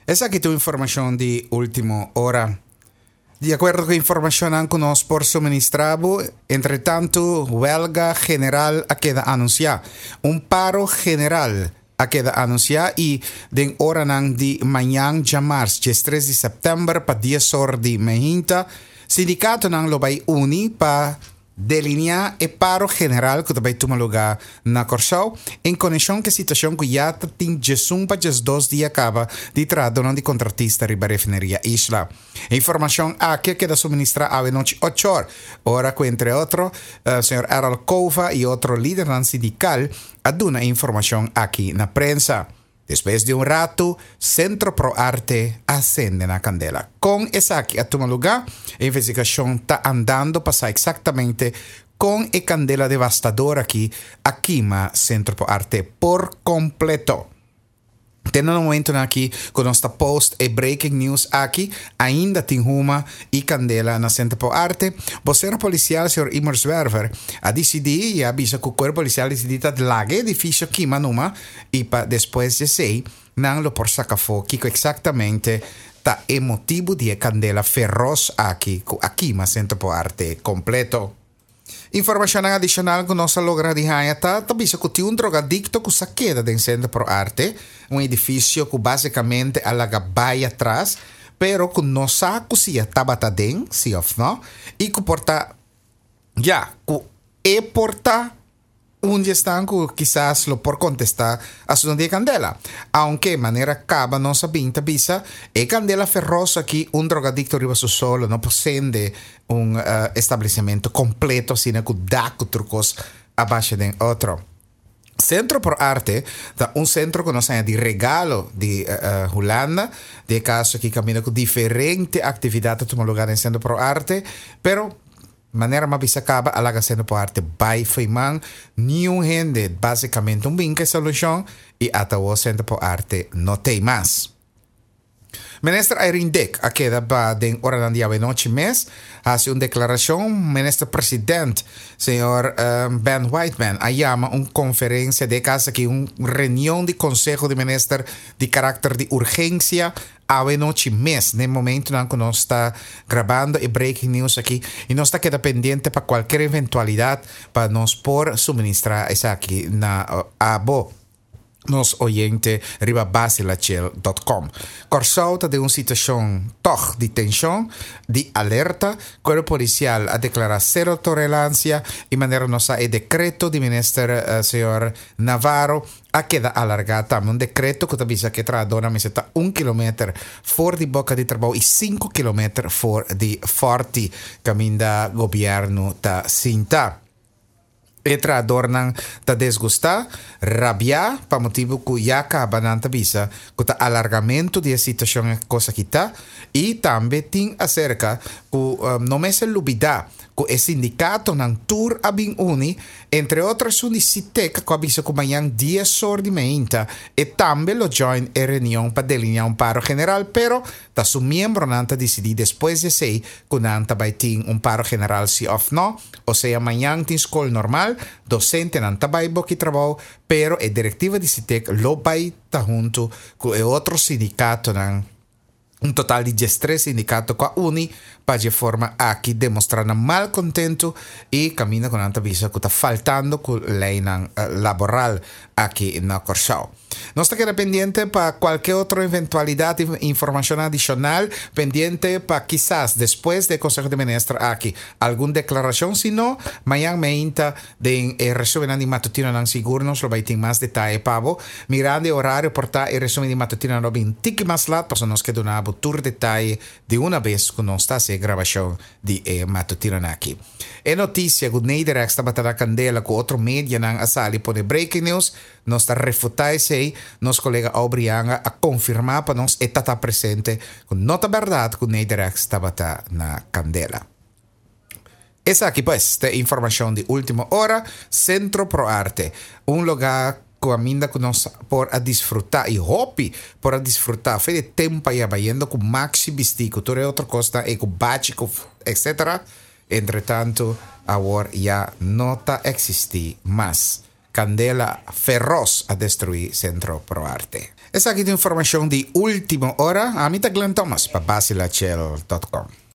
Esaki ta un informashon di último ora. Di akuerdo ku informashonnan ku nos por suministrá bo, entretantu wèlga general a keda anunsiá. Un paro general a keda anunsiá i den oranan di mañan djamars diestres di sèptèmber pa dies or di mehinta, sindikatonan lo bai uni pa Delineá e paro general ku ta bai tuma lugá na Kòrsou en konekshon ku e situashon ku ya ta tin djesun pa djesdos dia kaba di trahadónan di kontratista riba refineria Isla. E informashon aki a keda suministrá awe nochi ochor, ora ku entre otro señor Errol Cova i otro lidernan sindikal a duna e informashon aki na prensa. Despues di un ratu, Centro Pro Arte a sende na kandela. Kon esaki a tuma lugá? E investigashon ta andando pa sa eksaktamente kon e kandela devastador aki a kima Centro Pro Arte por kompleto. Te na momentunan aki ku nos ta post e breaking news aki, ainda tin huma i kandela na Centro Pro Arte. Bosero polisial señor Imor Zwerver a disidí i a bisa ku kuerpo polisial disidí ta laga e edifisio kima numa i pa despues di esei nan lo por saka afó kiko eksaktamente ta e motibu di e kandela feros aki ku a kima Sentro po Arte kompleto. Informashonnan adishonal ku nos a logra di haña ta ta bisa ku tin un drogadikto ku sa keda den Sentro pro Arte, un edifisio ku basikamente a laga bai atras, pero ku no sa ku si a tabata den, si òf no, i ku por ta ya ku e por ta Un di esnan ku kisas lo por kontestá asuntu di e kandela. Aunke manera kaba nos a bin ta bisa, e kandela feros aki un drogadikto riba su solo no por sende un establesimentu kompleto asina ku dak ku tur kos a basha den otro. Sentro por Arte ta un sentro ku nos haña di regalo di Hulanda. Den e kaso aki kaminda ku diferente aktividat ta tuma lugá den Sentro por Arte, pero Manera m'a bisa caba a laga sendo por arte bay fo'i man, niun hende basicamente un bin cu e solucion y ata awor Sentro por Arte no t'ey mas. Minister Irene Dick a keda ba den oranan di awenochi mes haci un declaracion. Minister President señor Ben Whiteman a yama un conferencia, den e caso aki un reunion di Conseho di Minister di caracter di urgencia Awe nochi mes, n'e momentonan cu nos ta grabando e breaking news aki y nos ta keda pendiente pa cualkier eventualidad pa nos por suministra esaki na abo, nos oyente riba basilachel dot com. Kòrsou ta den un situacion tog di tension, di alerta. Cuerpo Policial a declara cero tolerancia y manera nos sa e decreto di Minister señor Navarro A keda alargá tambe un dekreto ku ta bisa ku e trahadónan mester ta un kilometer for di boka di trabou i sinku kilometer for di fòrti kaminda gobièrnu ta sinta. E trahadornan ta desgustá, rabiá pa motibu ku ya kaba nan ta bisa ku ta alargamentu di e situashon e kos aki ta i tambe tin aserka ku no mester lubidá ku e sindikatonan tur a bin uni Entre otro esun di Sitek ku a bisa ku mañan dies or di meinta e tambe lo join e reunion pa delineá un paro general pero ta su miembronan ta disidí despues di esei ku nan ta bai tin un paro general si òf no. Osea mañan tin skol normal, dosentenan ta bai boki trabou pero e direktiva di Sitek lo bai ta huntu ku e otro sindikatonan. Un total di diestres sindikato ku a uni pa dje forma aki demostrá nan malkontentu i kaminda ku nan ta bisa ku ta faltando ku leinan laboral aki na Kòrsou. Nos ta keda pendiente pa kualke otro eventualidat i informashon adishonal, pendiente pa kisas despues di e Konseho di Minister aki algun deklarashon, si no, mañan meinta Den e resumennan di matutinonan sigur nos lo bai tin mas detaye pa bo. Mirando e orario por ta e resumen di matutinonan lo bin tiki mas lat pasobra nos ke duna bo tur detaye di una bes ku nos ta hasi e grabashon di e matutinonan aki. E notisia ku Nederex tabata na kandela ku otro medianan a sali pone breaking news, nos ta refuta esei. Nos kolega Aubrey Yanga a konfirma pa nos e ta ta presente ku no ta bèrdat ku Nederex tabata na kandela. Esaki pues ta e informacion di ultimo ora, Centro Pro Arte, un lugar cu aminda cu nos por a disfruta y hopi por a disfruta fe di tempo aya bayendo cu maxi bisti cu tur e otro cosnan ey cu bachi cu etc. Entretanto awor ya no ta existi mas. Candela feroz a destrui Centro Pro Arte. Esaki ta informacion di ultimo ora. Ami ta Glenn Thomas pa basilachel.com.